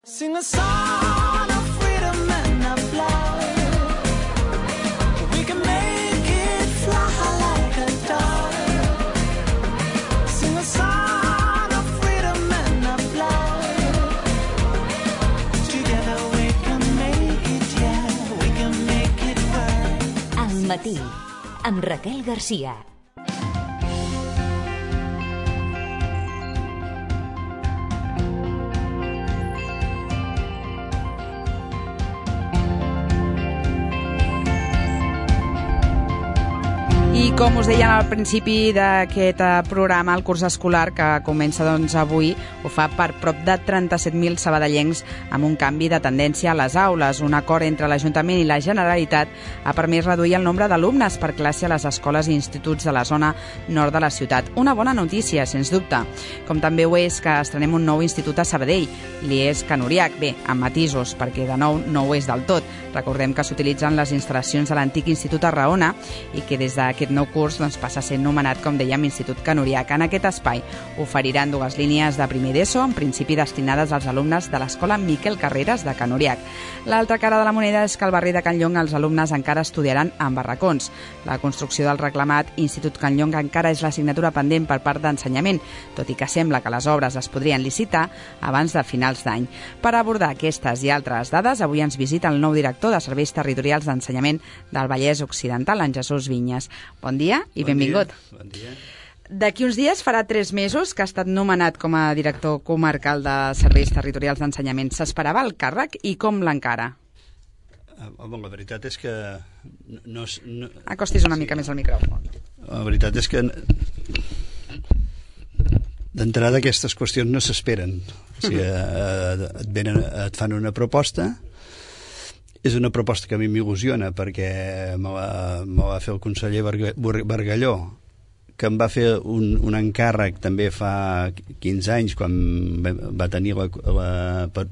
Sing a song of freedom and of love. We can make it fly like a dove. Sing a song of freedom and of love. Together we can make it, yeah, we can make it work. Al matí, amb Raquel Garcia. I com us deien al principi d'aquest programa, el curs escolar que comença avui ho fa per prop de 37.000 sabadellencs amb un canvi de tendència a les aules. Un acord entre l'Ajuntament i la Generalitat ha permès reduir el nombre d'alumnes per classe a les escoles i instituts de la zona nord de la ciutat. Una bona notícia, sens dubte. Com també ho és que estrenem un nou institut a Sabadell, l'IES Can Uriach. Bé, amb matisos, perquè de nou no ho és del tot. Recordem que s'utilitzen les instal·lacions de l'antic Institut Arraona i que des d'aquest nou curs passa a ser nomenat, com dèiem, Institut Can Uriach. En aquest espai oferiran dues línies de primer d'ESO, en principi destinades als alumnes de l'escola Miquel Carreras de Can Uriach. L'altra cara de la moneda és que al barri de Can Llong els alumnes encara estudiaran en barracons. La construcció del reclamat Institut Can Llong encara és l'assignatura pendent per part d'Ensenyament, tot i que sembla que les obres es podrien licitar abans de finals d'any. Per abordar aquestes i altres dades, avui ens visita el nou director de Serveis Territorials d'Ensenyament del Vallès Occidental, en Jesús Vinyes. Bon dia i benvingut. Bon dia. D'aquí uns dies farà 3 mesos que ha estat nomenat com a director comarcal de Serveis Territorials d'Ensenyament. S'esperava el càrrec i com l'encara? Home, la veritat és que... Acostis una mica més al micròfon. La veritat és que d'entrada aquestes qüestions no s'esperen. O sigui, et fan una proposta. És una proposta que a mi m'il·lusiona perquè me va fer el conseller Bargalló, que em va fer un encàrrec també fa 15 anys, quan va tenir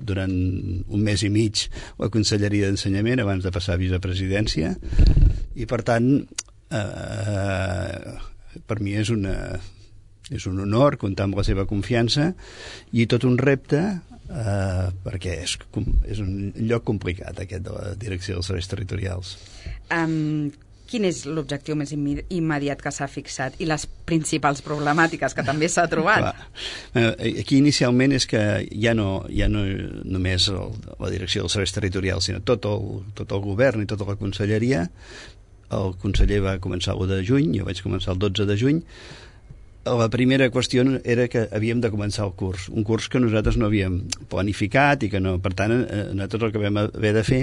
durant un mes i mig la Conselleria d'Ensenyament abans de passar a vicepresidència, i per tant per mi és un honor comptar amb la seva confiança i tot un repte, perquè és un lloc complicat aquest de la direcció dels serveis territorials. Quin és l'objectiu més immediat que s'ha fixat i les principals problemàtiques que també s'ha trobat? Aquí inicialment és que ja no només la direcció dels serveis territorials, sinó tot el govern i tota la conselleria. El conseller va començar l'1 de juny, jo vaig començar el 12 de juny. La primera qüestió era que havíem de començar el curs, un curs que nosaltres no havíem planificat i que no, per tant, nosaltres el que vam haver de fer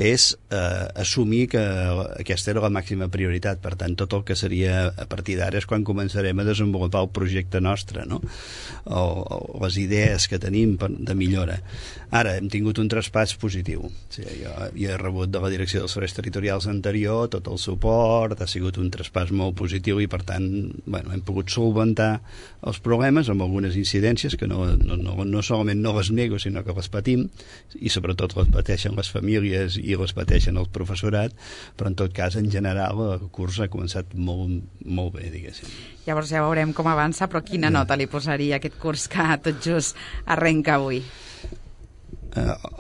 és assumir que aquesta era la màxima prioritat. Per tant, tot el que seria a partir d'ara és quan començarem a desenvolupar el projecte nostre, no? O les idees que tenim de millora. Ara, hem tingut un traspàs positiu. O sigui, jo he rebut de la direcció dels serveis territorials anterior tot el suport, ha sigut un traspàs molt positiu i, per tant, hem pogut solventar els problemes amb algunes incidències que no solament no les nego, sinó que les patim, i sobretot les pateixen les famílies i les pateixen el professorat, però en tot cas, en general, el curs ha començat molt bé, diguéssim. Llavors ja veurem com avança, però quina nota li posaria aquest curs que tot just arrenca avui?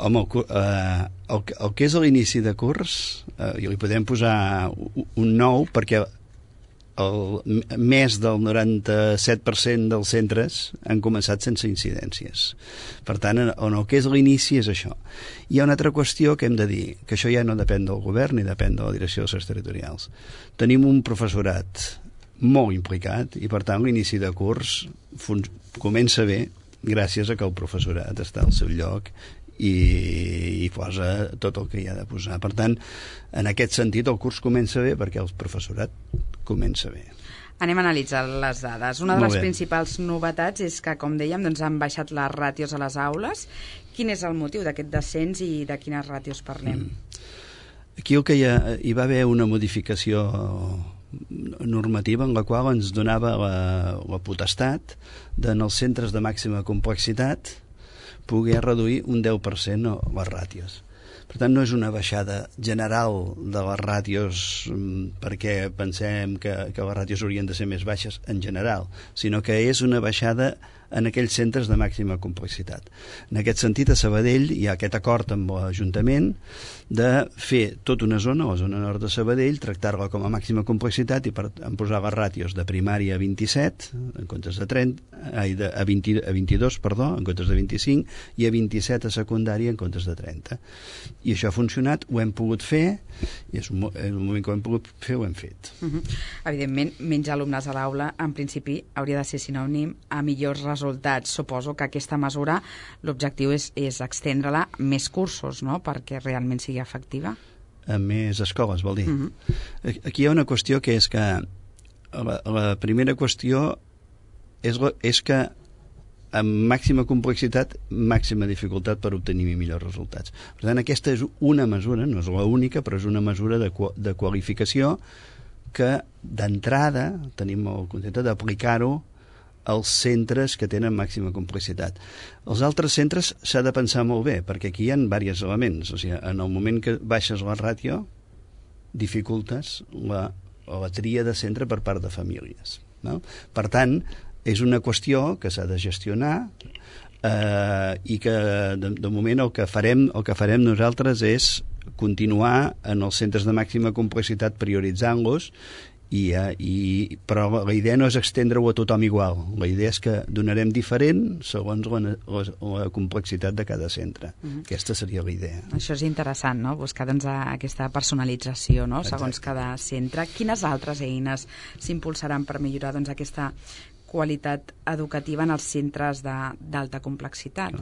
Home, el que és l'inici de curs, li podem posar un 9, perquè més del 97% dels centres han començat sense incidències. Per tant, el que és l'inici és això. Hi ha una altra qüestió que hem de dir, que això ja no depèn del govern ni depèn de la direcció dels serveis territorials. Tenim un professorat molt implicat i, per tant, l'inici de curs comença bé gràcies a que el professorat està al seu lloc i posa tot el que hi ha de posar. Per tant, en aquest sentit, el curs comença bé perquè el professorat comença bé. Anem a analitzar les dades. Una de les principals novetats és que, com dèiem, han baixat les ràtios a les aules. Quin és el motiu d'aquest descens i de quines ràtios parlem? Aquí hi va haver una modificació normativa en la qual ens donava la potestat en els centres de màxima complexitat poder reduir un 10% les ràtios. Per tant, no és una baixada general de les ràtios perquè pensem que les ràtios haurien de ser més baixes en general, sinó que és una baixada en aquells centres de màxima complexitat. En aquest sentit, a Sabadell hi ha aquest acord amb l'Ajuntament de fer tota una zona, la zona nord de Sabadell, tractar-la com a màxima complexitat i posar les ràtios de primària a 27 en comptes de 30, a 22, en comptes de 25, i a 27 a secundària en comptes de 30. I això ha funcionat, ho hem pogut fer, i és un moment que ho hem pogut fer, ho hem fet. Evidentment, menys alumnes a l'aula, en principi, hauria de ser sinònim a millors resultats. Suposo que aquesta mesura, l'objectiu és extendre-la més cursos, no?, perquè realment sigui efectiva. A més escoles, vol dir. Aquí hi ha una qüestió que és que la primera qüestió és que amb màxima complexitat, màxima dificultat per obtenir millors resultats. Per tant, aquesta és una mesura, no és l'única, però és una mesura de qualificació que d'entrada tenim el concepte d'aplicar-ho als centres que tenen màxima complexitat. Els altres centres s'ha de pensar molt bé, perquè aquí hi ha diversos elements. O sigui, en el moment que baixes la ràtio, dificultes la tria de centre per part de famílies. No? Per tant, és una qüestió que s'ha de gestionar i que de moment el que farem nosaltres és continuar en els centres de màxima complexitat prioritzant-los, però la idea no és estendre-ho a tothom igual. La idea és que donarem diferent segons la complexitat de cada centre. Aquesta seria la idea. Això és interessant, no?, buscar aquesta personalització, no?, segons cada centre. Quines altres eines s'impulsaran per millorar aquesta qualitat educativa en els centres d'alta complexitat?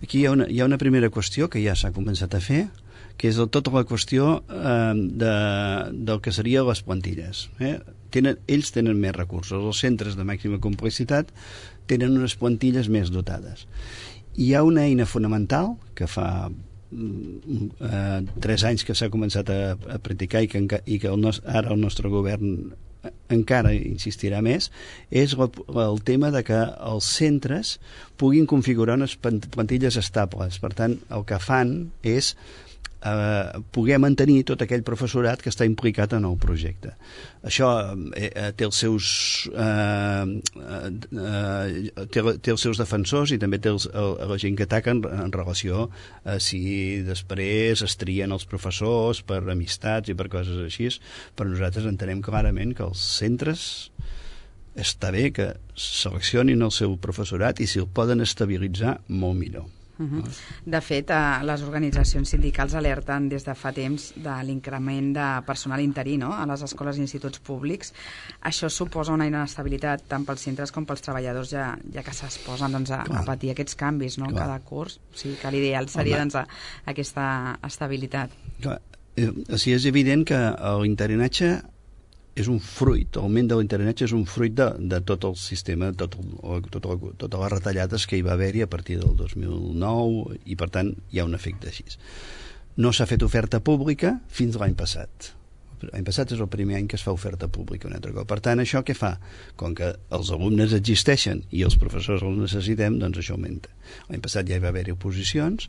Aquí hi ha una primera qüestió que ja s'ha començat a fer, que és tota la qüestió del que serien les plantilles. Ells tenen més recursos. Els centres de màxima complexitat tenen unes plantilles més dotades. Hi ha una eina fonamental que fa 3 anys que s'ha començat a practicar i que ara el nostre govern encara insistirà més, és el tema de que els centres puguin configurar unes plantilles estables. Per tant, el que fan és poder mantenir tot aquell professorat que està implicat en el projecte. Això té els seus defensors i també té la gent que ataca en relació a si després es trien els professors per amistats i per coses així, però nosaltres entenem clarament que els centres està bé que seleccionin el seu professorat i si el poden estabilitzar, molt millor. De fet, les organitzacions sindicals alerten des de fa temps de l'increment de personal interí, no?, a les escoles i instituts públics. Això suposa una inestabilitat tant pels centres com pels treballadors, ja que s'exposen a patir aquests canvis, no?, cada curs. O sigui que l'ideal seria aquesta estabilitat. Clar. O sigui, és evident que l'interinatge és un fruit, l'augment de l'interinatge és un fruit de tot el sistema, totes les retallades que hi va haver-hi a partir del 2009 i per tant hi ha un efecte així. No s'ha fet oferta pública fins l'any passat. L'any passat és el primer any que es fa oferta pública un altre cop. Per tant, això què fa? Com que els alumnes existeixen i els professors els necessitem, doncs això augmenta. L'any passat ja hi va haver-hi oposicions.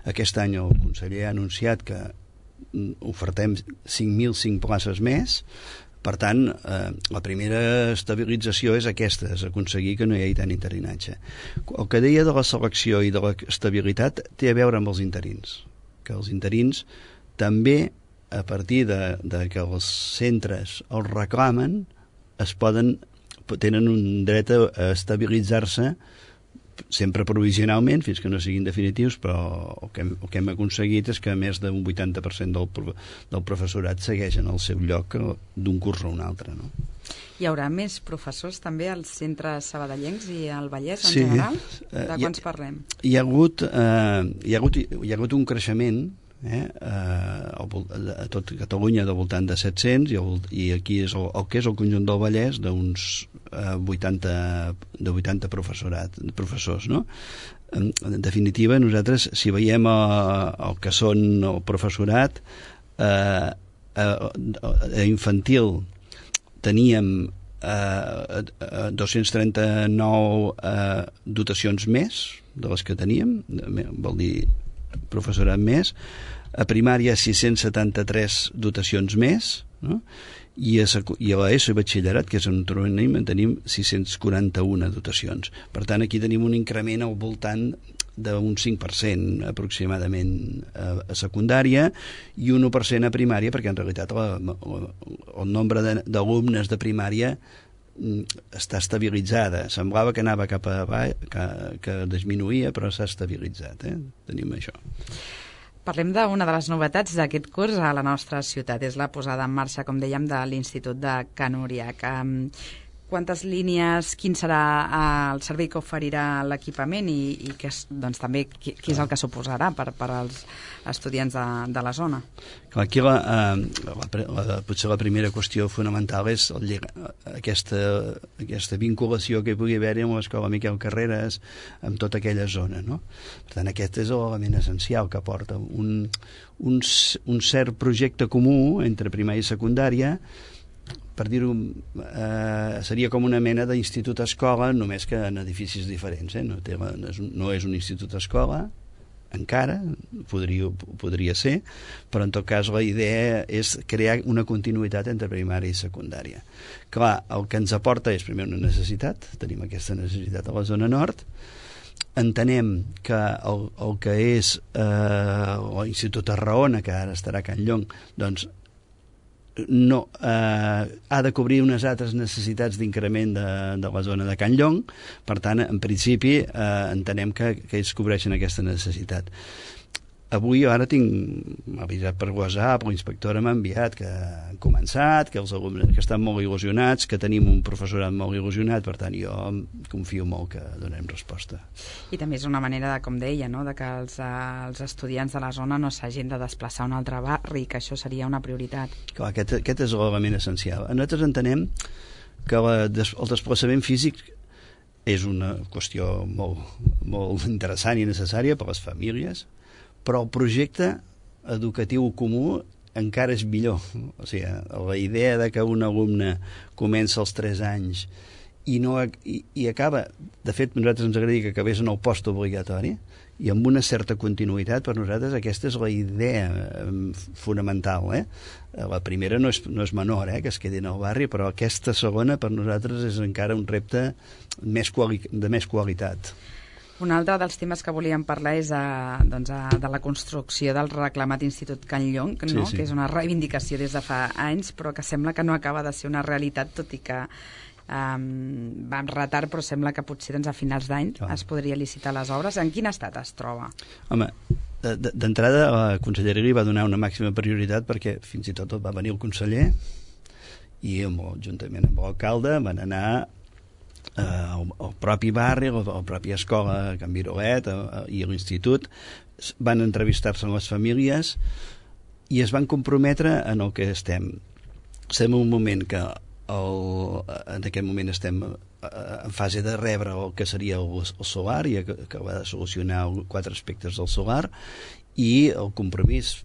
Aquest any el conseller ha anunciat que ofertem 5.005 places més. Per tant, la primera estabilització és aquesta, és aconseguir que no hi hagi tant interinatge. El que deia de la selecció i de l'estabilitat té a veure amb els interins, que els interins també, a partir de que els centres els reclamen, tenen un dret a estabilitzar-se sempre provisionalment, fins que no siguin definitius, però el que hem aconseguit és que més d'un 80% del professorat segueix en el seu lloc d'un curs a un altre, no? Hi haurà més professors també als centres sabadellencs i al Vallès en general? De quants parlem? Hi ha hagut un creixement a tot Catalunya de voltant de 700 i aquí és el que és el conjunt del Vallès d'uns 80 professors, no? En definitiva, nosaltres, si veiem el que són el professorat infantil, teníem 239 dotacions més de les que teníem, vol dir professorat més, a primària 673 dotacions més, no? I a l'ESO i batxillerat, que és on tenim 641 dotacions. Per tant, aquí tenim un increment al voltant d'un 5% aproximadament a secundària i un 1% a primària, perquè en realitat el nombre d'alumnes de primària està estabilitzada. Semblava que anava cap a baix, que disminuïa, però s'ha estabilitzat. Tenim això. Parlem d'una de les novetats d'aquest curs a la nostra ciutat. És la posada en marxa, com dèiem, de l'Institut de Can Uriach. Quantes línies, quin serà el servei que oferirà l'equipament i doncs, també què és el que suposarà per als estudiants de la zona? Aquí potser la primera qüestió fonamental és aquesta vinculació que hi pugui haver amb l'escola Miquel Carreras, amb tota aquella zona, no? Per tant, aquest és l'element essencial que porta un cert projecte comú entre primària i secundària. Per dir-ho, seria com una mena d'institut-escola, només que en edificis diferents. No és un institut-escola, encara, podria ser, però en tot cas la idea és crear una continuïtat entre primària i secundària. Clar, el que ens aporta és primer una necessitat, tenim aquesta necessitat a la zona nord, entenem que el que és l'Institut Tarragona, que ara estarà a Can Llong, doncs no, ha de cobrir unes altres necessitats d'increment de la zona de Can Llong. Per tant, en principi entenem que ells cobreixen aquesta necessitat. Avui ara m'ha avisat per WhatsApp, l'inspectora m'ha enviat que han començat, que els alumnes que estan molt il·lusionats, que tenim un professorat molt il·lusionat, per tant jo confio molt que donem resposta. I també és una manera, com deia, no?, de que els estudiants de la zona no s'hagin de desplaçar a un altre barri, que això seria una prioritat. Clar, aquest és l'element essencial. Nosaltres entenem que el desplaçament físic és una qüestió molt interessant i necessària per a les famílies, però el projecte educatiu comú encara és millor. O sigui, la idea de que un alumne comença als 3 anys i acaba, de fet, nosaltres ens agradaria que acabés en el postobligatori i amb una certa continuïtat. Per nosaltres aquesta és la idea fonamental. La primera no és menor, que es quedi en el barri, però aquesta segona per nosaltres és encara un repte de més qualitat. Un altre dels temes que volíem parlar és de la construcció del reclamat Institut Can Llong, no? Sí. Que és una reivindicació des de fa anys, però que sembla que no acaba de ser una realitat, tot i que va amb retard, però sembla que potser a finals d'any es podria licitar les obres. En quin estat es troba? Home, d'entrada la conselleria li va donar una màxima prioritat perquè fins i tot va venir el conseller i juntament amb l'alcalde van anar el propi barri, la pròpia escola Can Virolet i l'institut, van entrevistar-se amb les famílies i es van comprometre en el que estem. Estem en un moment que en aquest moment estem en fase de rebre el que seria el solar i que va de solucionar 4 aspectes del solar, i el compromís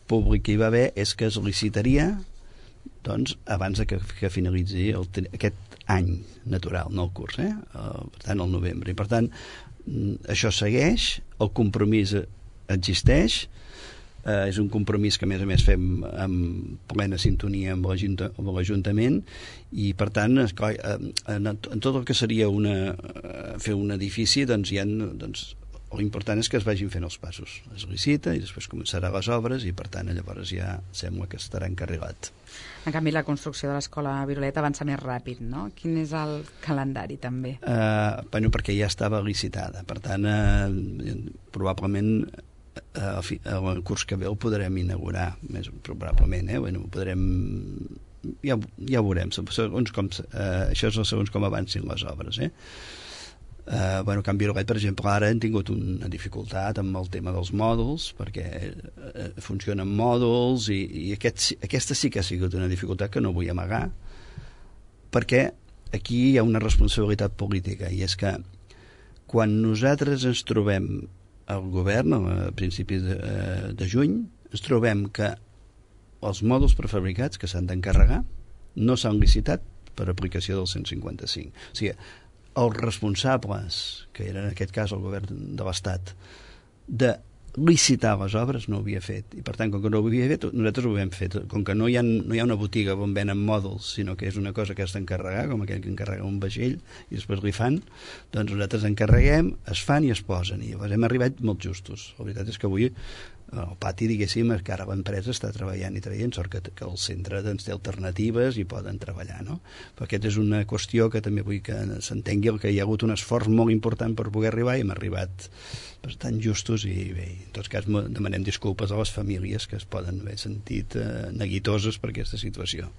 públic que hi va haver és que es licitaria doncs abans que finalitzi aquest any natural, no el curs, per tant el novembre. I per tant això segueix, el compromís existeix, és un compromís que a més fem amb plena sintonia amb l'Ajuntament, i per tant en tot el que seria fer un edifici l'important és que es vagin fent els passos, es licita i després començarà les obres i per tant llavors ja sembla que estarà encarrilat. En canvi la construcció de l'escola Virolet avança més ràpid, no? Quin és el calendari també? Perquè ja estava licitada, per tant probablement el curs que ve el podrem inaugurar, més probablement, ja ho veurem, això és segons com avancin les obres. Can Virolet, per exemple, ara hem tingut una dificultat amb el tema dels mòduls, perquè funcionen mòduls i aquesta sí que ha sigut una dificultat que no vull amagar, perquè aquí hi ha una responsabilitat política, i és que quan nosaltres ens trobem al govern a principis de juny, ens trobem que els mòduls prefabricats que s'han d'encarregar no s'han licitat per aplicació del 155. O sigui, els responsables, que eren en aquest cas el govern de l'Estat, de licitar les obres no ho havia fet, i per tant, com que no ho havia fet, nosaltres ho hem fet. Com que no hi ha una botiga on venen mòduls, sinó que és una cosa que has d'encarregar, com aquell que encarrega un vaixell i després li fan, doncs nosaltres encarreguem, es fan i es posen, i llavors hem arribat molt justos. La veritat és que avui el pati, diguéssim, que ara l'empresa està treballant i traient, sort que el centre doncs, té alternatives i poden treballar, no? Però aquesta és una qüestió que també vull que s'entengui, que hi ha hagut un esforç molt important per poder arribar, i hem arribat bastant justos, i bé, en tot cas demanem disculpes a les famílies que es poden haver sentit neguitoses per aquesta situació.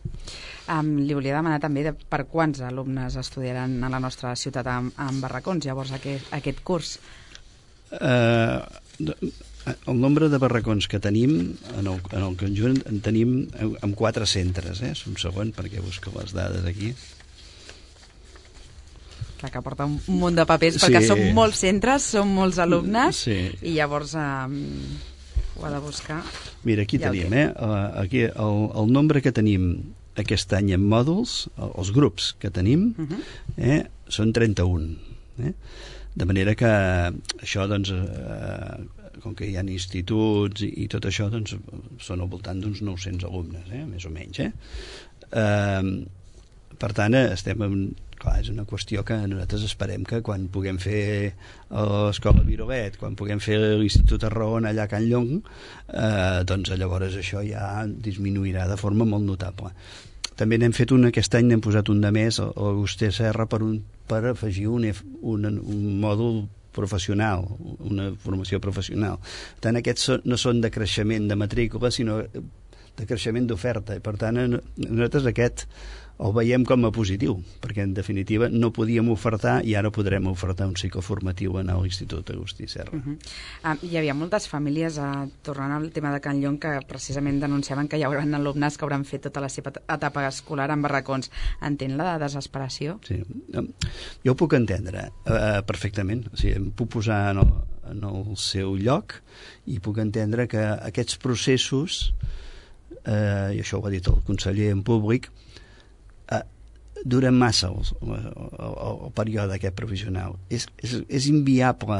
Li volia demanar també per quants alumnes estudiaran a la nostra ciutat en barracons, llavors, aquest curs? El nombre de barracons que tenim en el conjunt en tenim en 4 centres, un segon perquè busco les dades aquí. Clar, que porta un munt de papers, perquè són molts centres, són molts alumnes, i llavors ho ha de buscar. Mira, aquí tenim, aquí el nombre que tenim aquest any en mòduls, els grups que tenim, són 31. De manera que això, doncs, com que hi ha instituts i tot això, doncs són al voltant d'uns 900 alumnes, més o menys. Per tant, clar, és una qüestió que nosaltres esperem que quan puguem fer l'escola Virolet, quan puguem fer l'Institut Arraona allà a Can Llong, doncs llavors això ja disminuirà de forma molt notable. També n'hem fet aquest any, n'hem posat un de més, l'Agustí Serra, per afegir un mòdul professional, una formació professional. Tant aquests no són de creixement de matrícula, sinó de creixement d'oferta. Per tant, nosaltres aquest el veiem com a positiu, perquè en definitiva no podíem ofertar i ara podrem ofertar un cicle formatiu en l'Institut Agustí Serra. Hi havia moltes famílies, tornant al tema de Can Llong, que precisament denunciaven que hi haurà alumnes que hauran fet tota la seva etapa escolar en barracons. Entén la desesperació? Sí, jo ho puc entendre perfectament. O sigui, em puc posar en el seu lloc i puc entendre que aquests processos, i això ho ha dit el conseller en públic, duren massa el període aquest professional. És inviable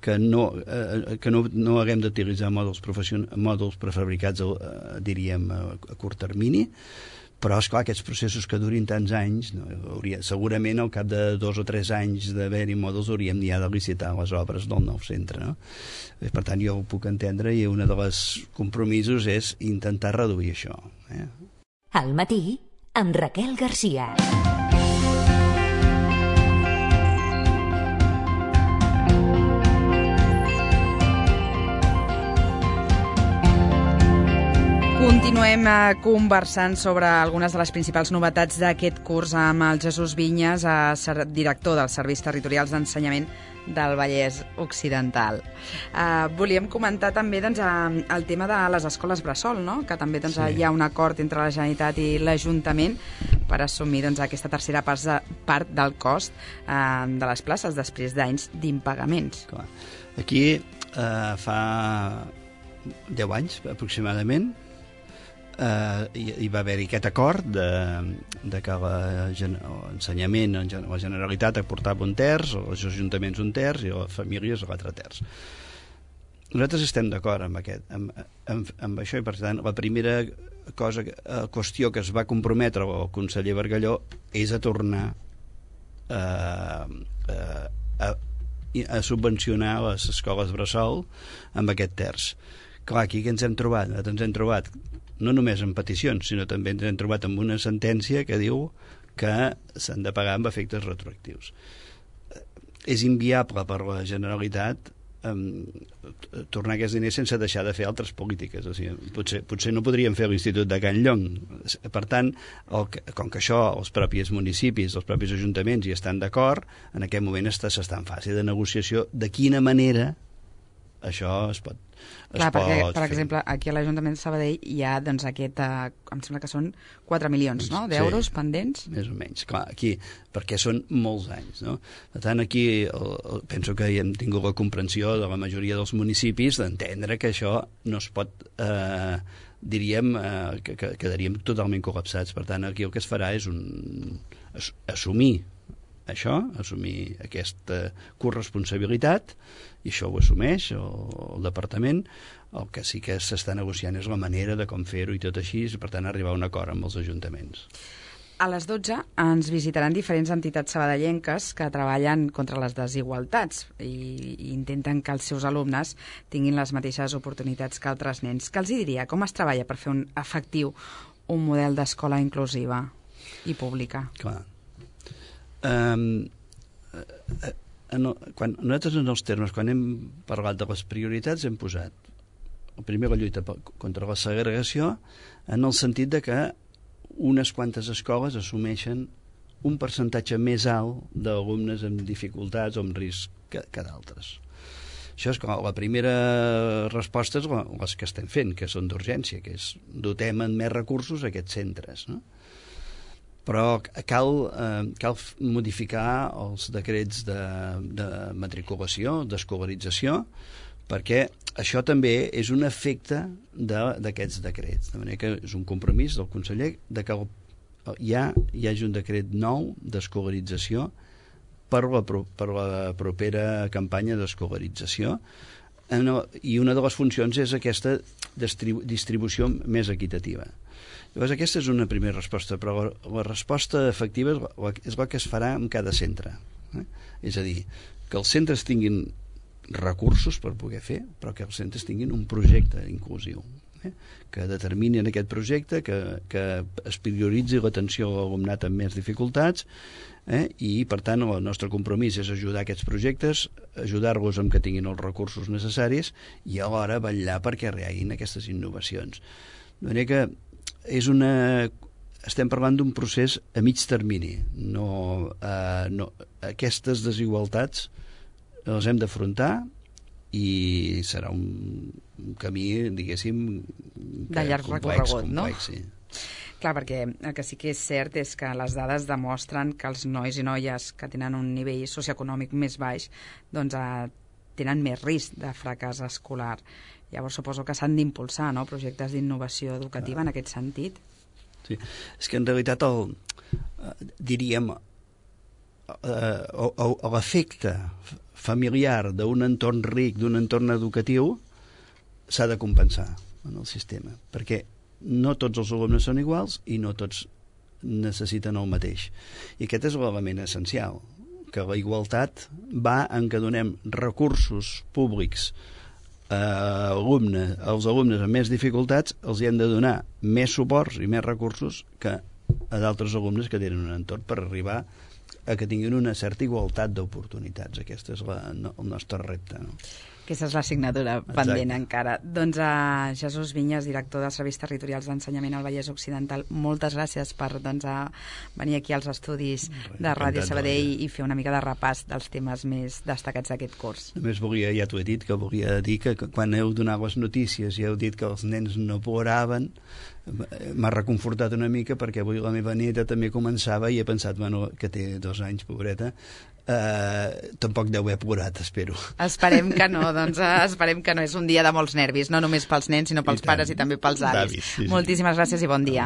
que no haguem d'utilitzar mòduls prefabricats, diríem, a curt termini, però, esclar, aquests processos que durin tants anys, segurament al cap de 2 o 3 anys d'haver-hi mòduls hauríem ja de licitar les obres del nou centre, no? Per tant, jo ho puc entendre, i un dels compromisos és intentar reduir això. Al matí, amb Raquel Garcia. Continuem conversant sobre algunes de les principals novetats d'aquest curs amb el Jesús Vinyes, director dels Serveis Territorials d'Ensenyament del Vallès Occidental. Volíem comentar també el tema de les escoles bressol, no? Que també hi ha un acord entre la Generalitat i l'Ajuntament per assumir aquesta tercera part del cost de les places després d'anys d'impagaments. Aquí fa 10 anys aproximadament hi va haver-hi aquest acord de que l'ensenyament, la Generalitat aportava 1/3, els ajuntaments 1/3 i les famílies l'altre terç. Nosaltres estem d'acord amb això, i per tant la primera qüestió que es va comprometre el conseller Bargalló és a tornar a subvencionar les escoles bressol amb aquest terç. Clar, aquí què ens hem trobat? Ens hem trobat no només en peticions, sinó també ens hem trobat amb una sentència que diu que s'han de pagar amb efectes retroactius. És inviable per la Generalitat tornar aquests diners sense deixar de fer altres polítiques. O sigui, potser no podríem fer l'Institut de Can Llong. Per tant, com que això els propis municipis, els propis ajuntaments hi estan d'acord, en aquest moment s'està en fase de negociació de quina manera això es pot perquè, per exemple, aquí a l'Ajuntament de Sabadell hi ha aquest, em sembla que són 4 milions d'euros pendents. Més o menys, clar, aquí, perquè són molts anys, no? Per tant, aquí penso que hem tingut la comprensió de la majoria dels municipis d'entendre que això no es pot, diríem, que quedaríem totalment col·lapsats. Per tant, aquí el que es farà és assumir això, assumir aquesta corresponsabilitat, i això ho assumeix el departament. El que sí que s'està negociant és la manera de com fer-ho i tot així, i per tant arribar a un acord amb els ajuntaments. A les 12 ens visitaran diferents entitats sabadellenques que treballen contra les desigualtats i intenten que els seus alumnes tinguin les mateixes oportunitats que altres nens. Què els diria? Com es treballa per fer efectiu un model d'escola inclusiva i pública? Clar. Quan nosaltres en els termes, quan hem parlat de les prioritats, hem posat primer la lluita contra la segregació en el sentit de que unes quantes escoles assumeixen un percentatge més alt d'alumnes amb dificultats o amb risc que d'altres. Això és la primera resposta, és les que estem fent, que són d'urgència, que és dotem amb més recursos a aquests centres, no? Però cal modificar els decrets de matriculació, d'escolarització, perquè això també és un efecte d'aquests decrets. De manera que és un compromís del conseller de que hi hagi un decret nou d'escolarització per la propera campanya d'escolarització, i una de les funcions és aquesta distribució més equitativa. Llavors aquesta és una primera resposta, però la resposta efectiva és la que es farà en cada centre. És a dir, que els centres tinguin recursos per poder fer, però que els centres tinguin un projecte inclusiu, que determini en aquest projecte, que es prioritzi l'atenció a l'alumnat amb més dificultats, i per tant el nostre compromís és ajudar aquests projectes, ajudar-los amb que tinguin els recursos necessaris i alhora vetllar perquè reaguin aquestes innovacions. De manera que estem parlant d'un procés a mig termini. Aquestes desigualtats les hem d'afrontar i serà un camí, diguéssim, de llarg recorregut, no? Sí. Clar, perquè el que sí que és cert és que les dades demostren que els nois i noies que tenen un nivell socioeconòmic més baix doncs tenen més risc de fracàs escolar. Llavors suposo que s'han d'impulsar, no?, projectes d'innovació educativa en aquest sentit. Sí, és que en realitat diríem l'efecte familiar d'un entorn ric, d'un entorn educatiu, s'ha de compensar en el sistema, perquè no tots els alumnes són iguals i no tots necessiten el mateix. I aquest és l'element essencial, que la igualtat va en que donem recursos públics als alumnes amb més dificultats, els hi hem de donar més suports i més recursos que a d'altres alumnes que tenen un entorn per arribar a que tinguin una certa igualtat d'oportunitats. Aquest és el nostre repte, no? Aquesta és l'assignatura pendent encara. Doncs a Jesús Vinyes, director de Serveis Territorials d'Ensenyament al Vallès Occidental, moltes gràcies per venir aquí als estudis de Ràdio Sabadell i fer una mica de repàs dels temes més destacats d'aquest curs. Només volia, ja t'ho he dit, que volia dir que quan heu donat les notícies i heu dit que els nens no ploraven, m'ha reconfortat una mica, perquè avui la meva neta també començava i he pensat, bueno, que té 2 anys, pobreta, tampoc deu haver plorat, espero. Esperem que no, doncs esperem que no. És un dia de molts nervis, no només pels nens, sinó pels pares i també pels avis. Moltíssimes gràcies i bon dia.